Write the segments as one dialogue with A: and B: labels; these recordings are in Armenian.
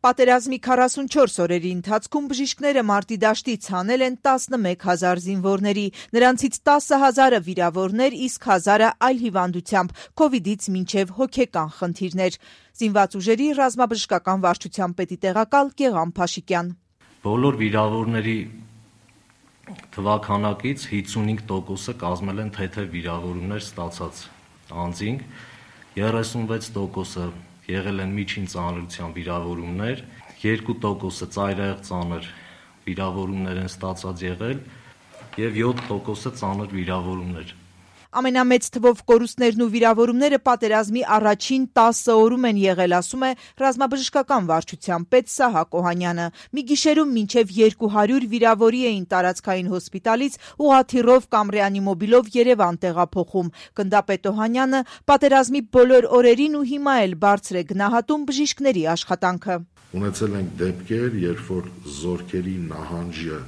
A: Պատերազմի 44 օրերի ընթացքում բժիշկները մարտի դաշտից հանել են 11,000 զինվորների, նրանցից 10,000-ը վիրավորներ, իսկ 1,000-ը այլ հիվանդությամբ, քովիդից մինչև հոգեկան խնդիրներ։ Զինված ուժերի ռազմաբժշկական վարչության պետի տեղակալ Գեղամ Փաշիկյան.
B: Բոլոր վիրավորների թվաքանակից 55%-ը կազմել են թեթև վիրավորումներ ստացած անձինք, 36%-ը եղել են միջին ծանրության վիրավորումներ, 2%-ը ծայրահեղ ծանր վիրավորումներ են ստացած եղել և 7%-ը ծանր վիրավորումներ։
A: Ամենամեծ թվով կորուստներն ու վիրավորումները պատերազմի առաջին 10 օրում են եղել, ասում է ռազմաբժշկական վարչության պետ Սահակ Օհանյանը։ Մի գիշերում մինչև 200 վիրավորի էին տարածքային հոսպիտալից ուղղաթիռով կամ ռեանիմոբիլով Երևան տեղափոխում։ Գնդապետ Օհանյանը պատերազմի բոլոր օրերին ու հիմա էլ բարձր է գնահատում բժիշկների աշխատանքը։
C: Ունեցել ենք դեպքեր, երբ որ զորքերի նահանջը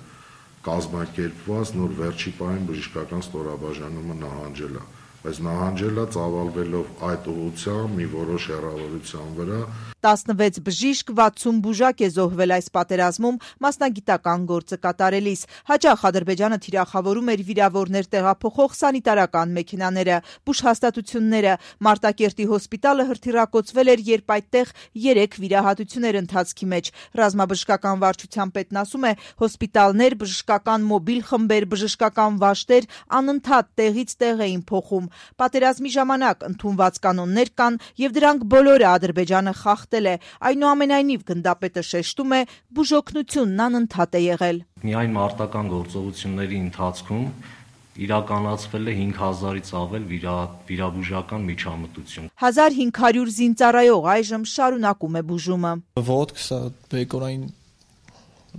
C: կազմակերպված, նոր վերջի պահին բժշկական ստորաբաժանումը նահանջել է, բայց նահանջել է ծավալվելով այդ ուղղությամբ մի որոշ հեռավորության վրա։
A: 16 բժիշկ, 60 բուժակ է զոհվել այս պատերազմում մասնագիտական գործը կատարելիս։ Հաճախ Ադրբեջանը թիրախավորում էր վիրավորներ տեղափոխող սանիտարական մեքենաները, բուժհաստատությունները։ Մարտակերտի հոսպիտալը հրթիռակոծվել էր, երբ այդտեղ 3 վիրահատություն էր ընթացքի մեջ։ Ռազմաբժշկական վարչության պետն ասում է, հոսպիտալներ, բժշկական մոբիլ խմբեր, բժշկական վաշտեր անընդհատ տեղից տեղ էին փոխում։ Պատերազմի ժամանակ ընդունված կանոններ կան, եւ դրանք բոլորը Ադրբեջանը խախտել է։ Այնուամենայնիվ գնդապետը շեշտում է, բուժօգնությունն անընդհատ է եղել։
B: Միայն մարտական գործողությունների ընթացքում իրականացվել է 5000-ից ավել վիրաբուժական միջամտություն։
A: 1500 զինծառայող այժմ շարունակում է բուժումը։
D: Ոտք, սա բեկորային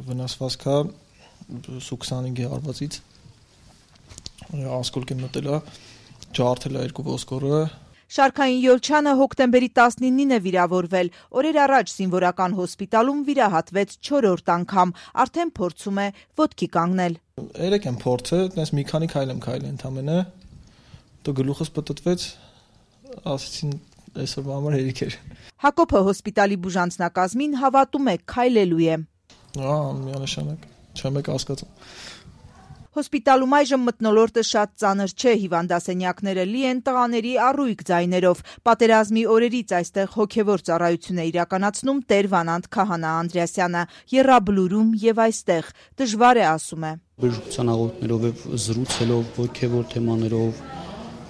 D: վնասվածք է, Սու-25-ի հարվածից ասկոլք եմ մտել է, ջարդել է 2 ոսկորը։
A: Շարքային Յոլչյանը հոկտեմբերի 19-ին է վիրավորվել։ Օրեր առաջ զինվորական հոսպիտալում վիրահատվեց 4-րդ անգամ, արդեն փորձում է ոտքի կանգնել։
D: Երեք եմ փորձել, այտենց մի քանի քայլ եմ քայլել ընդամենը, դու գլուխս պտտվեց, ասեցին այսօրվա համար հերիք էր։
A: Հակոբը հոսպիտալի բուժանձնակազմին հավատում է, քայլելու է։
D: Միանշանակ, չեմ եք հասկացում։
A: Հոսպիտալում այժմ մթնոլորտը շատ ծանր չէ, հիվանդասենյակները լի են տղաների առույգ ձայներով։ Պատերազմի օրերից այստեղ հոգևոր ծառայություն է իրականացնում Տեր Վանանդ Քահանա Անդրեասյանը, եռաբլուրում եւ այստեղ։ Դժվար է, ասում է։
E: Բժշկության աղոթներով եւ զրուցելով հոգևոր թեմաներով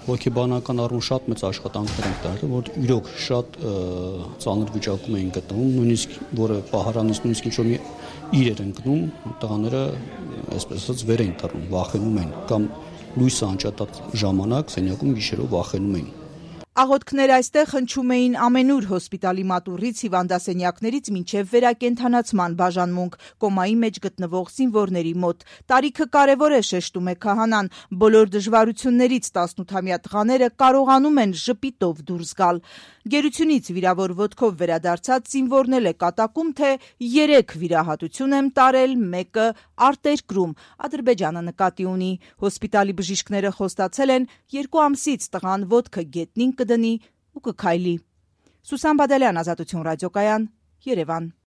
E: հոգեբանական առումով շատ մեծ աշխատանքներ ենք տարել, որ իրոք շատ ծանր վիճակում էին գտնվում, նույնիսկ որը պահարանից նույնիսկ ինչ-որ մի իր էր ընկնում, տղաները այսպես ասած վեր էին թռնում, վախենում էին կամ լույսը անջատած ժամանակ սենյակում գիշերով վախենում էին։
A: Աղոթքներ այստեղ հնչում էին ամենուր հոսպիտալի մատուռից հիվանդասենյակներից մինչև վերակենդանացման բաժանմունք, կոմայի մեջ գտնվող զինվորների մոտ։ Տարիքը կարևոր է, շեշտում է Քահանան։ Բոլոր դժվարություններից 18-ամյա տղաները կարողանում են ժպիտով դուրս գալ։ Գերությունից վիրավոր ոտքով վերադարձած զինվորն է կատակում, թե 3 վիրահատություն եմ տարել, մեկը արտերկրում, Ադրբեջանը նկատի ունի։ Հոսպիտալի բժիշկները խոստացել են 2 ամսից տղան ոտքը գետնին կդնի ու կքայլի։ Սուսան Բադալյան, Ազատություն ռադիոկայան, Երևան։